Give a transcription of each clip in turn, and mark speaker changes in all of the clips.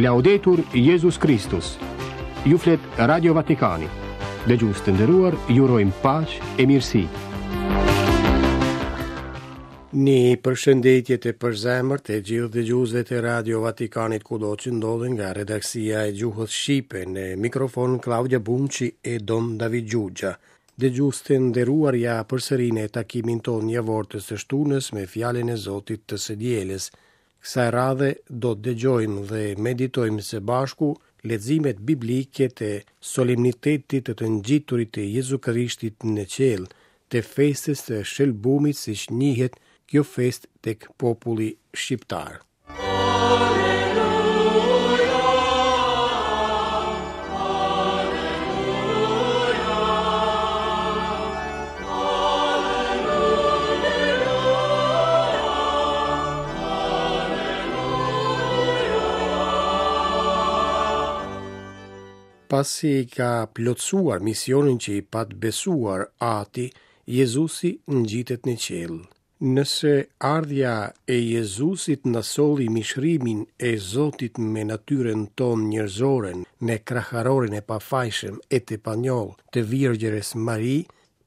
Speaker 1: Laudetur Jezus Kristus. Ju flet Radio Vatikani. Dëgjues të nderuar, ju urojmë paqe e mirësi.
Speaker 2: Një përshëndetje të përzemërt të gjithë dëgjuesve të Radio Vatikanit kudo që ndodhen nga redaksia e gjuhës shqipe në mikrofon Klaudia Bumçi e Don David Xhuxha. Dëgjues të nderuar ja përsëri në takimin tonë javor të së shtunës me fjalën e Zotit të së dielës. Kësaj radhe do të dëgjojmë dhe meditojmë së bashku leximet biblike të solemnitetit të të ngjiturit të Jezu Krishtit në qiell, të festës së Shëlbumit siç njihet kjo festë tek populli shqiptar. Pasi ka plotësuar misionin që i pat besuar Ati, Jezusi ngjitet në qiell. Nëse ardhja e Jezusit na solli mishërimin e Zotit me natyrën tonë njerëzore në kraharorin e pafajshëm e të panjollë të Virgjërës Mari,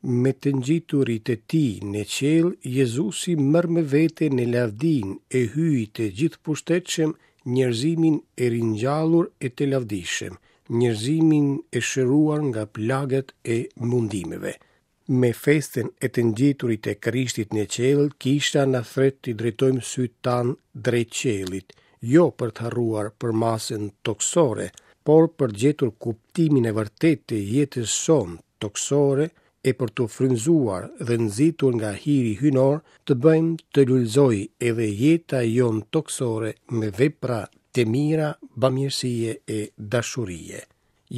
Speaker 2: Me të ngjiturit e tij në qiell, Jezusi merr me vete në lavdinë e Hyjit të Gjithëpushtetshëm njerëzimin e ringjallur e të lavdishëm, njerëzimin e shëruar nga plagët e mundimeve. Me festën e të ngjiturit të Krishtit në qiell, Kisha na thërret t'i drejtojmë sytë tanë drejt qiellit, jo për të harruar përmasën tokësore, por për të gjetur kuptimin e vërtetë të jetës sonë tokësore e për t'u frymëzuar dhe nxitur nga hiri hyjnor të bëjmë të lulëzojë edhe jeta jonë tokësore me vepra të mira bamirësie e dashurie.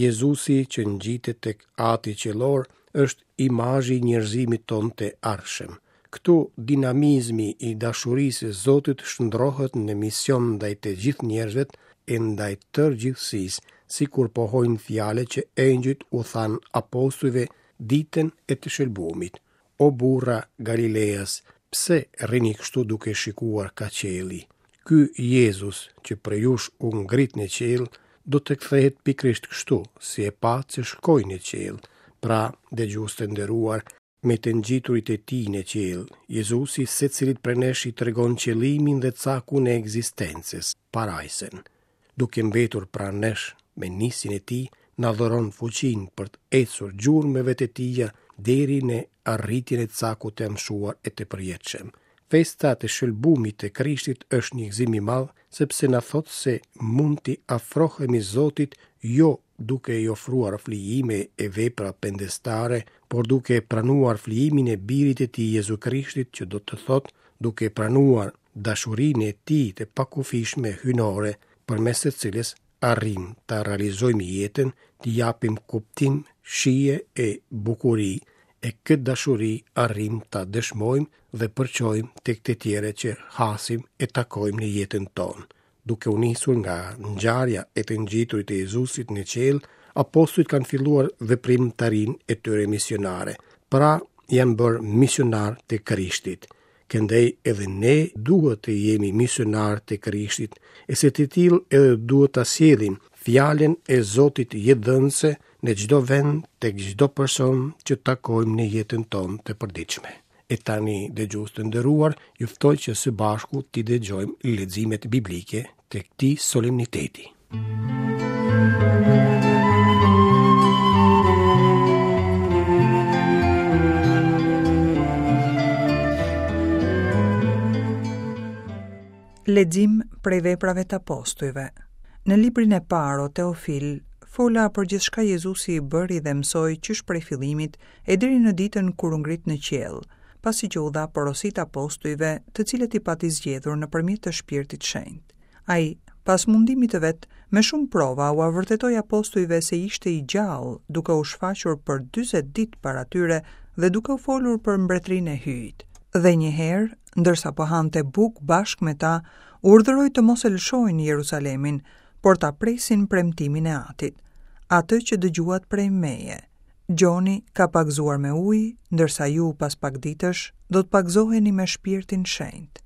Speaker 2: Jezusi që ngjitet tek Ati qiellor është imazhi i njerëzimit tonë të ardhshëm. Këtu dinamizmi i dashurisë së Zotit shndërrohet në mision ndaj të gjithë njerëzve e ndaj tërë gjithësisë, sikur pohojnë fjalët që engjëjt u thanë apostujve ditën e të shëlbumit. O burra galileas, pse rrini kështu duke shikuar kah qielli? Ky Jezus që prej jush u ngrit në qiell, do të kthehet pikërisht kështu, si e patë që shkoi në qiell. Pra, dëgjues të nderuar, Me të ngjiturit e tij në qiell, Jezusi secilit prej nesh i tregon qëllimin dhe cakun e ekzistencës, parajsën. Duke mbetur pranë nesh, me nisjen e tij, na dhuron fuqinë për të ecur gjurmëve të tija deri në arritjen e cakut të amshuar e të përjetshëm. Festa e të shëlbumit të Krishtit është një gëzim i madh, sepse na thotë se mund t'i afrohemi Zotit jo duke i ofruar flijime e vepra pendestare, por duke pranuar flijimin e Birit të Tij Jezu Krishtit, që do të thotë duke pranuar dashurinë e Tij të pakufishme hyjnore, përmes së cilës arrijmë ta realizojmë jetën, t'i japim kuptim, shije e bukuri, e këtë dashuri arrijmë ta dëshmojmë dhe përçojmë tek të tjerët që hasim e takojmë në jetën tonë. Duke u nisur nga ngjarja e të ngjiturit të Jezusit në qiell, apostujt kanë filluar veprimtarinë e tyre misionare. Pra, janë bërë misionarë të Krishtit. Këndej edhe ne duhet të jemi misionarë të Krishtit, e si të tillë edhe duhet ta sjellim fjalën e Zotit jetëdhënëse në çdo vend tek çdo person që takojmë në jetën tonë të përditshme. E tani, dëgjues të nderuar, ju ftoj që së bashku t'i dëgjojmë leximet biblike të këtij solemniteti.
Speaker 3: Lexim prej veprave të apostujve. Në librin e parë, o Teofil, fola për gjithçka Jezusi bëri dhe mësoi qysh prej fillimit e deri në ditën kur u ngrit në qiell, pasi që u dha porositë apostujve, të cilët i pati zgjedhur nëpërmjet të Shpirtit Shenjt. Ai, pas mundimit të vet, me shumë prova ua vërtetoi apostujve se ishte i gjallë, duke u shfaqur për 40 ditë para tyre dhe duke u folur për mbretërinë e Hyjit. Dhe një herë, ndërsa po hante bukë bashkë me ta, urdhëroi të mos e lëshojnë Jeruzalemin, por ta presin premtimin e Atit, atë që dëgjuat prej meje. Gjoni ka pagëzuar me ujë, ndërsa ju pas pak ditësh do të pagëzoheni me Shpirtin Shenjt.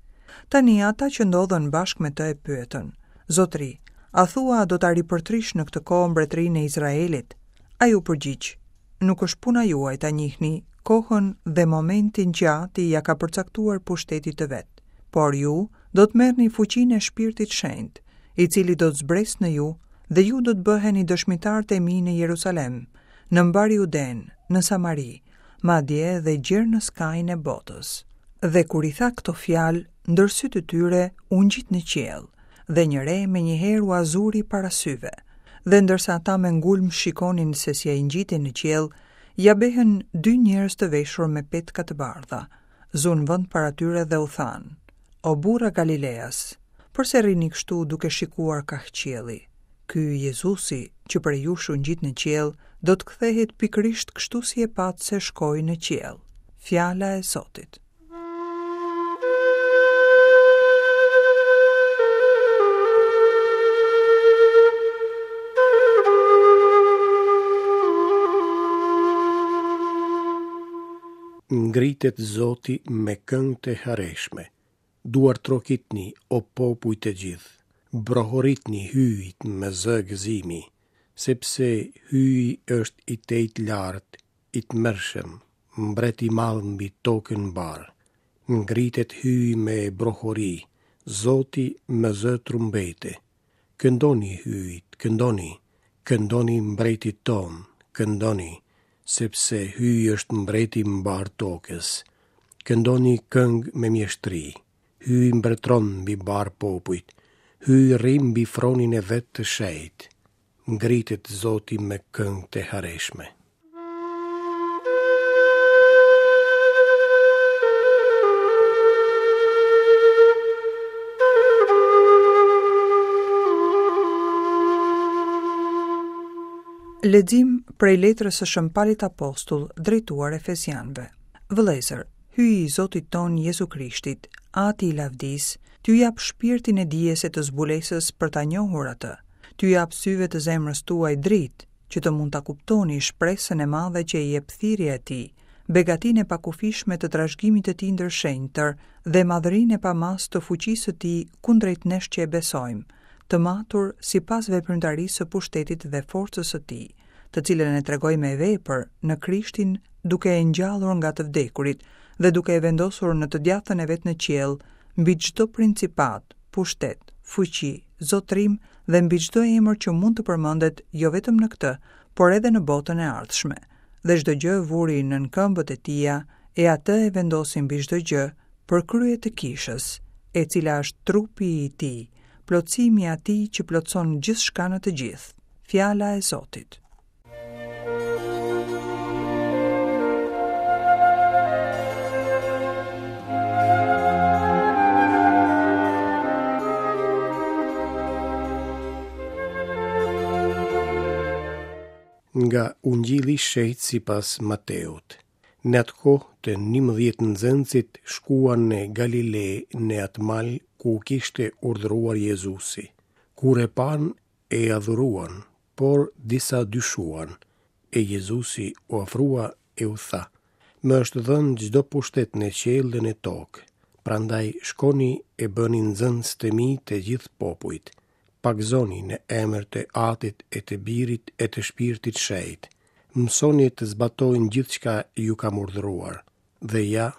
Speaker 3: Tani ata që ndodhen bashkë me të e pyetën: Zotëri, A thua do ta ripërtrish në këtë kohë mbretërinë e Izraelit? Ai u përgjigj, Nuk është puna juaj ta njihni kohën dhe momentin që Ati ia ka përcaktuar pushtetit të vet, por ju do të merrni fuqinë e Shpirtit Shenjt, i cili do të zbresë në ju dhe ju do të bëheni dëshmitarët e mi në Jerusalem, në mbarë Judenë, në Samari, madje edhe gjer në skajin e botës. Dhe kur i tha këto fjalë, ndër sytë e tyre u ngjit në qiell, dhe një re menjëherë ua zuri para syve. Dhe ndërsa ata me ngulm shikonin se si ai ngjitej në qiell, ja behën dy njerëz të veshur me petka të bardha, zunë vend para tyre dhe u thanë, O burra Galileas, përse rrini kështu duke shikuar kah qielli? Ky Jezusi, që prej jush u ngjit në qiell, do të kthehet pikërisht kështu si e patë se shkoi në qiell. Fjala e Zotit.
Speaker 2: Ngritet Zoti me këngë të hareshme. Duartrokitni, o popuj të gjithë. Brohoritni Hyjit me zë gëzimi, sepse Hyji është i tejlartë, i tmerrshëm, mbret i madh mbi tokën mbarë. Ngritet Hyji me brohori, Zoti me zë trumbete. Këndoni Hyjit, këndoni, këndoni mbretit tonë, këndoni, sepse Hyji është mbreti i mbarë tokës. Këndoni këngë me mjeshtri. Hyji mbretëron mbi mbarë popujt. Hyji rri mbi fronin e vet të shenjtë. Ngritet Zoti me këngë të hareshme.
Speaker 3: Lexim prej letrës së Shën Palit Apostull drejtuar Efesianëve. Vëllezër, Hyji i Zotit tonë Jezu Krishtit, Ati i lavdisë, t'ju japë shpirtin e dijes e të zbulesës për ta njohur atë. T'ju japë syve të zemrës tuaj dritë, që të mund ta kuptoni shpresën e madhe që e jep thirrja e tij, begatinë e pakufishme të trashëgimit të tij ndër shenjtër dhe madhërinë e pamasë të fuqisë së tij kundrejt nesh që e besojmë, të matur sipas veprimtarisë së pushtetit dhe forcës së tij, të cilën e tregoi me vepër në Krishtin duke e ngjallur nga të vdekurit dhe duke e vendosur në të djathtën e vet në qiell mbi çdo principatë, pushtet, fuqi, zotërim dhe mbi çdo emër që mund të përmendet jo vetëm në këtë, por edhe në botën e ardhshme. Dhe çdo gjë vuri nën këmbët e tija, e atë e vendosi mbi çdo gjë për krye të kishës, e cila është trupi i tij, plotësimi i atij që plotëson gjithçka në të gjithë. Fjala e Zotit.
Speaker 2: Nga Ungjilli i Shenjtë sipas Mateut. Në atë kohë të 11 nxënësit shkuan në Galile në atë mal ku kishte urdhëruar Jezusi. Kur e panë, e adhuruan, por disa dyshuan, e Jezusi u afrua e u tha, Më është dhënë çdo pushtet në qiell dhe në tokë, prandaj shkoni e bëni nxënës të mi të gjithë popujt, pagëzoni në emër të Atit e të Birit e të Shpirtit Shenjt, mësoni të zbatojnë gjithçka ju kam urdhëruar, dhe ja,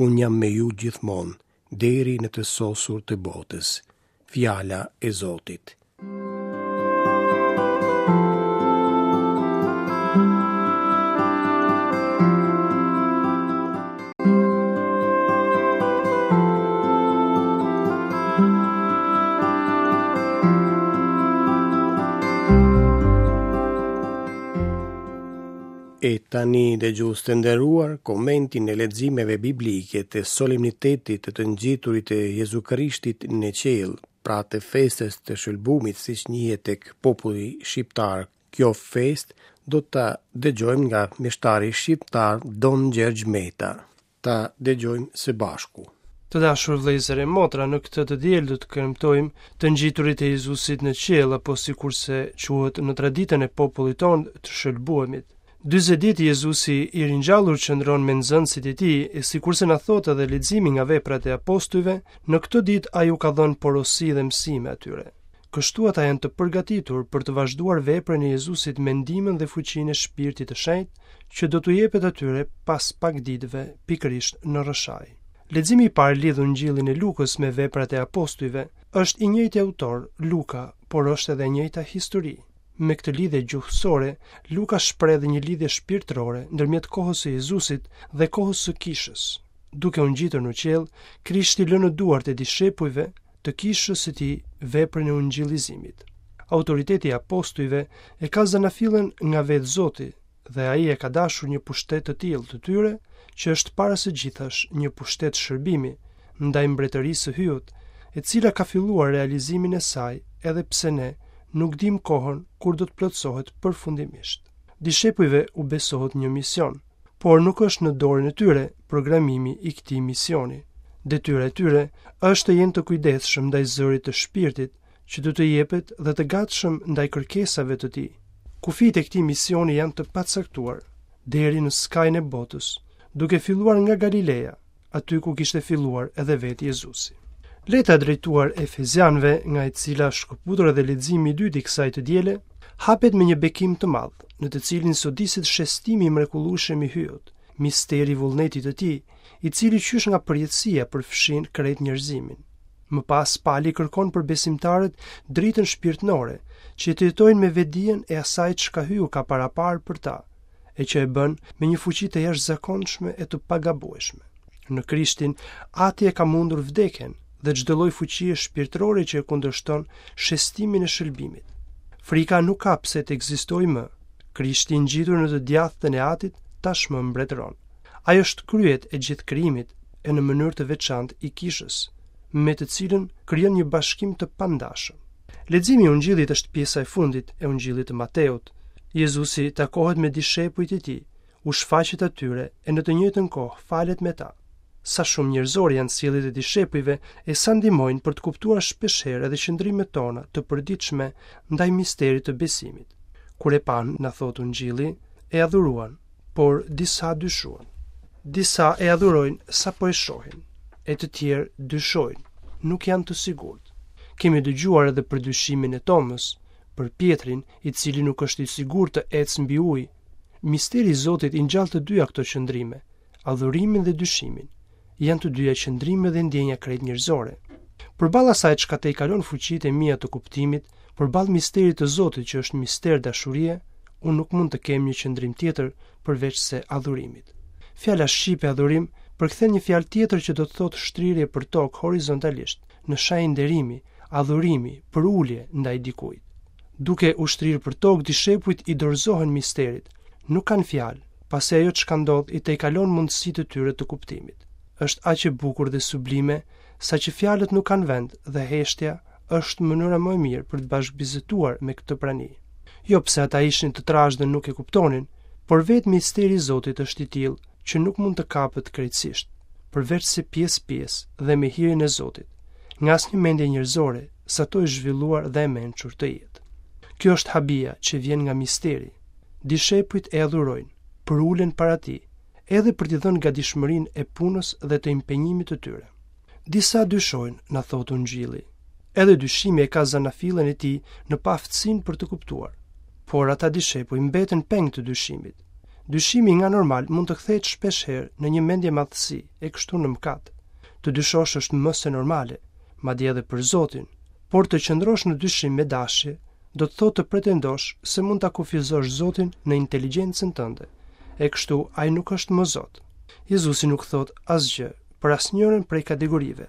Speaker 2: unë jam me ju gjithmonë, deri në të sosur të botës. Fjala e Zotit. E tani dëgjues të nderuar, komentin e leximeve biblike të solemnitetit të të ngjiturit të Jezu Krishtit në qiell, pra të festës të shëlbumit siç njihet tek populli shqiptar, kjo festë do ta dëgjojmë nga meshtari shqiptar Don Gjergj Meta. Ta dëgjojmë së
Speaker 4: bashku. Të dashur vëllezër e motra, në këtë të diel do të kremtojmë të ngjiturit e Jezusit në qiell apo sikurse quhet në traditën e popullit tonë të shëlbuemit. 40 ditë Jezusi i ringjallur qëndron me nxënësit e tij, e sikurse na thotë edhe leximi nga veprat e apostujve, në këto ditë ai u ka dhënë porosi dhe mësime atyre. Kështu ata janë të përgatitur për të vazhduar veprën e Jezusit me ndihmën dhe fuqinë e Shpirtit të Shenjtë, që do t'u jepet atyre pas pak ditëve, pikërisht në Rrëshaj. Leximi i parë lidh Ungjillin e Lukës me veprat e apostujve, është i njëjti autor, Luka, por është edhe e njëjta histori. Me këtë lidhje gjuhësore, Luka shpreh dhe një lidhje shpirtërore ndërmjet kohës së Jezusit dhe kohës së kishës. Duke u ngjitur në qiell, Krishti lë në duart e dishepujve të kishës së tij veprën e ungjillizimit. Autoriteti i apostujve e ka zanafillën nga vetë Zoti dhe ai e ka dashur një pushtet të tillë të tyre, që është para së gjithash një pushtet shërbimi ndaj mbretërisë së Hyjut, e cila ka filluar realizimin e saj edhe pse ne nuk dimë kohën kur do të plotësohet përfundimisht. Dishepujve u besohet një mision, por nuk është në dorën e tyre programimi i këtij misioni. Detyra e tyre është të jenë të kujdesshëm ndaj zërit të shpirtit që do të jepet dhe të gatshëm ndaj kërkesave të tij. Kufijtë e këtij misioni janë të pacaktuar, deri në skajin e botës, duke filluar nga Galileja, aty ku kishte filluar edhe vetë Jezusi. Letra drejtuar Efezianëve, nga e cila është shkëputur edhe leximi i dytë i kësaj të diele, hapet me një bekim të madh, në të cilin sodiset shestimi i mrekullueshëm i Hyjut, misteri i vullnetit të tij, i cili qysh nga përjetësia përfshin krejt njerëzimin. Më pas Pali kërkon për besimtarët dritën shpirtërore, që të jetojnë me vetëdijen e asaj çka Hyu ka paraparë për ta, e që e bën me një fuqi të jashtëzakonshme e të pagabueshme. Në Krishtin, Ati e ka mundur vdekjen dhe çdo lloj fuqie shpirtërore që e kundërshton shestimin e shëlbimit. Frika nuk ka pse të ekzistojë më. Krishti i ngjitur në të djathtën e Atit tashmë mbretëron. Ai është kryet e gjithë krijimit e në mënyrë të veçantë i kishës, me të cilën krijon një bashkim të pandashëm. Leximi i Ungjillit është pjesa e fundit e Ungjillit të Mateut. Jezusi takohet me dishepujt e tij, u shfaqet atyre e në të njëjtën kohë falet me ta. Sa shumë njerëzore janë sjelljet e dishepujve e sa ndihmojnë për të kuptuar shpeshherë edhe qëndrimet tona të përditshme ndaj misterit të besimit. Kur e panë, na thotë Ungjilli, e adhuruan, por disa dyshuan. Disa e adhurojnë sapo e shohin, e të tjerë dyshojnë, nuk janë të sigurt. Kemi dëgjuar edhe për dyshimin e Tomës, për Pjetrin, i cili nuk është i sigurt të ecë mbi ujë. Misteri i Zotit i ngjall të dyja këto qëndrime, adhurimin dhe dyshimin. Janë të dyja qëndrime dhe ndjenja krejt njerëzore. Përballë asaj çka tejkalon fuqitë e mia të kuptimit, përballë misterit të Zotit që është mister dashurie, unë nuk mund të kem një qëndrim tjetër përveç se adhurimit. Fjala shqipe adhurim përkthen një fjalë tjetër që do të thotë shtrirje për tokë horizontalisht, në shenjë nderimi, adhurimi, përulje ndaj dikujt. Duke u shtrirë për tokë, dishepujt i dorëzohen misterit. Nuk kanë fjalë, pasi ajo çka ndodh i tejkalon mundësitë e tyre të kuptimit. Është aq e bukur dhe sublime, saqë fjalët nuk kanë vend dhe heshtja është mënyra më e mirë për të bashkëbiseduar me këtë prani. Jo pse ata ishin të trashë dhe nuk e kuptonin, por vetë misteri i Zotit është i tillë që nuk mund të kapet krejtësisht, përveçse pjesë-pjesë dhe me hirin e Zotit, nga asnjë mendje njerëzore, sado e zhvilluar dhe e mençur të jetë. Kjo është habia që vjen nga misteri. Dishepujt e adhurojnë, përulen para tij, edhe për t'i dhënë gatishmërinë e punës dhe të impenjimit të tyre. Disa dyshojnë, na thotë Ungjilli. Edhe dyshimi e ka zanafillën e tij në paaftësinë për të kuptuar. Por ata dishepuj mbeten peng të dyshimit. Dyshimi nga normal mund të kthehet shpeshherë në një mendjemadhësi e kështu në mëkat. Të dyshosh është më se normale, madje edhe për Zotin, por të qëndrosh në dyshim me dashje do të thotë të pretendosh se mund ta kufizosh Zotin në inteligjencën tënde, e kështu ai nuk është më Zot. Jezusi nuk thotë asgjë për asnjërën prej kategorive,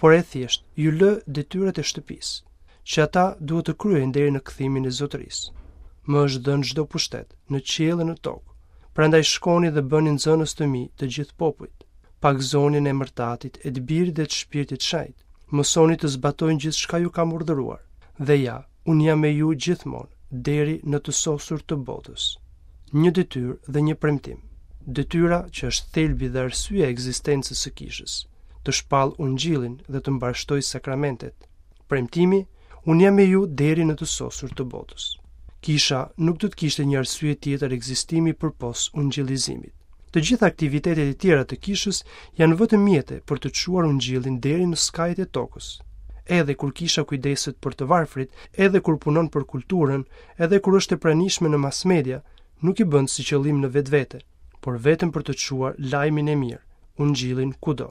Speaker 4: por e thjesht ju lë detyrat e shtëpisë, që ata duhet të kryejnë deri në kthimin e zotërisë. Më është dhënë çdo pushtet, në qiell e në tokë. Prandaj shkoni dhe bëni nxënës të mi të gjithë popujt. Pagëzoni në emër të Atit e të Birit dhe të Shpirtit Shenjt. Mësoni të zbatojnë gjithçka ju kam urdhëruar. Dhe ja, unë jam me ju gjithmonë, deri në të sosur të botës. Një detyrë dhe një premtim. Detyra që është thelbi dhe arsyeja e ekzistencës së kishës, të shpallë ungjillin dhe të mbarështojë sakramentet. Premtimi, unë jam me ju deri në të sosur të botës. Kisha nuk do të kishte një arsye tjetër ekzistimi përpos ungjillizimit. Të gjitha aktivitetet e tjera të kishës janë vetëm mjete për të çuar ungjillin deri në skajet e tokës. Edhe kur kisha kujdeset për të varfrit, edhe kur punon për kulturën, edhe kur është e pranishme në mass media, nuk i bën si qëllim në vetvete, por vetëm për të çuar lajmin e mirë, ungjillin kudo.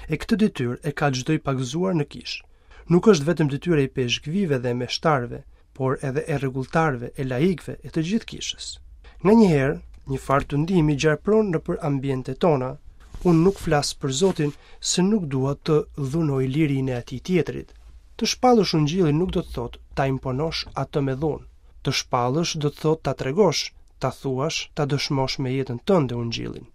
Speaker 4: E këtë detyrë e ka çdo i pagëzuar në kishë. Nuk është vetëm detyrë e ipeshkvijve dhe e meshtarëve, por edhe e rregulltarëve, e laikëve, e të gjithë kishës. Nganjëherë, një farë tundimi gjarpëron nëpër ambientet tona. Unë nuk flas për Zotin se nuk dua të dhunoj lirinë e atij tjetrit. Të shpallësh ungjillin nuk do të thotë ta imponosh atë me dhunë. Të shpallësh do të thotë ta tregosh, ta thuash, ta dëshmosh me jetën tënde ungjillin.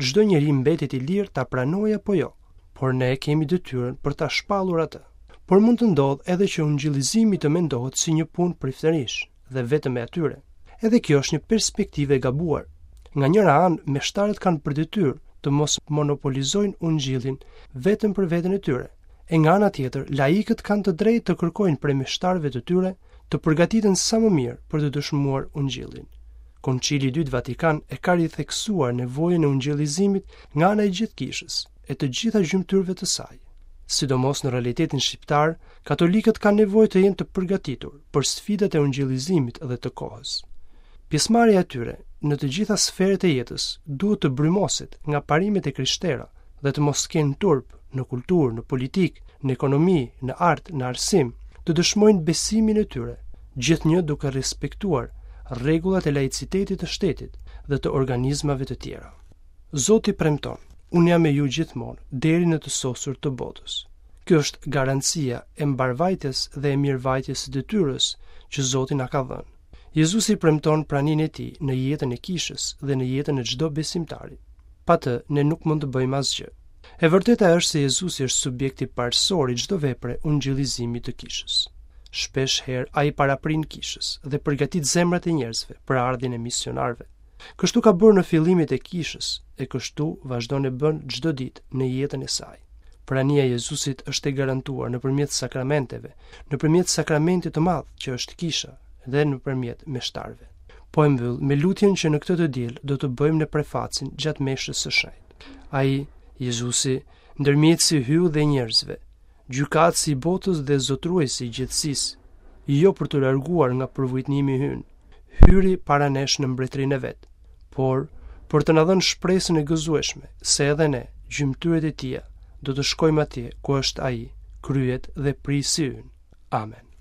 Speaker 4: Çdo njeri mbetet i lirë ta pranojë apo jo, por ne kemi detyrën për ta shpallur atë. Por mund të ndodhë edhe që ungjillizimi të mendohet si një punë priftërish dhe vetëm e atyre. Edhe kjo është një perspektivë e gabuar. Nga njëra anë, meshtarët kanë për detyrë të mos monopolizojnë ungjillin vetëm për veten e tyre. E nga ana tjetër, laikët kanë të drejtë të kërkojnë prej meshtarëve të tyre të përgatiten sa më mirë për të dëshmuar ungjillin. Koncili i Dytë Vatikan e ka ritheksuar nevojën e ungjillizimit nga ana e gjithë kishës, e të gjitha gjymtyrëve të saj. Sidomos në realitetin shqiptar, katolikët kanë nevojë të jenë të përgatitur për sfidat e ungjillizimit dhe të kohës. Pjesëmarrja e tyre në të gjitha sferat e jetës duhet të brymoset nga parimet e krishtera dhe të mos kenë turp në kulturë, në politikë, në ekonomi, në art, në arsim, të dëshmojnë besimin e tyre, gjithnjë duke respektuar rregullat e laicitetit të shtetit dhe të organizmave të tjera. Zoti premton, unë jam me ju gjithmonë, deri në të sosur të botës. Kjo është garancia e mbarëvajtjes dhe e mirëvajtjes së detyrës që Zoti na ka dhënë. Jezusi premton praninë e tij në jetën e kishës dhe në jetën e çdo besimtari. Pa të, ne nuk mund të bëjmë asgjë. E vërteta është se Jezusi është subjekti parësor i çdo vepre ungjillizimi të kishës. Shpesh herë ai paraprin kishës dhe përgatit zemrat e njerëzve për ardhjen e misionarëve. Kështu ka bërë në fillimet e kishës e kështu vazhdon e bën çdo ditë në jetën e saj. Prania e Jezusit është e garantuar nëpërmjet sakramenteve, nëpërmjet sakramentit të madh që është kisha dhe nëpërmjet meshtarëve. Po e mbyll me lutjen që në këtë të diel do të bëjmë në prefacin gjatë meshës së shenjtë. Ai, Jezusi, ndërmjetësi i Hyut dhe njerëzve, gjykatësi i botës dhe zotëruesi i gjithësisë, jo për t'u larguar nga përvujtnimi ynë, hyri para nesh në mbretërinë e vet, por për të na dhënë shpresën e gëzueshme se edhe ne, gjymtyrët e tija, do të shkojmë atje ku është ai, kryet dhe prijësi ynë. Amen.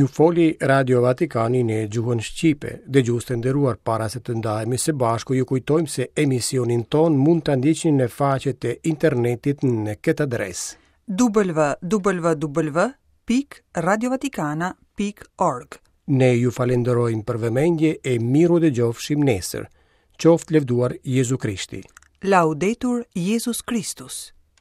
Speaker 2: Ju foli Radio Vatikani në gjuhën shqipe. Dëgjues të nderuar para se të ndahemi së bashku, ju kujtojmë se emisionin tonë mund ta ndiqni në faqet e internetit në këtë adresë.
Speaker 3: www.radiovatikana.org
Speaker 2: Ne ju falenderojmë për vëmendje e mirudëgjofshim nesër. Qoftë lëvduar Jezu Krishti.
Speaker 3: Laudetur Jezus Kristus.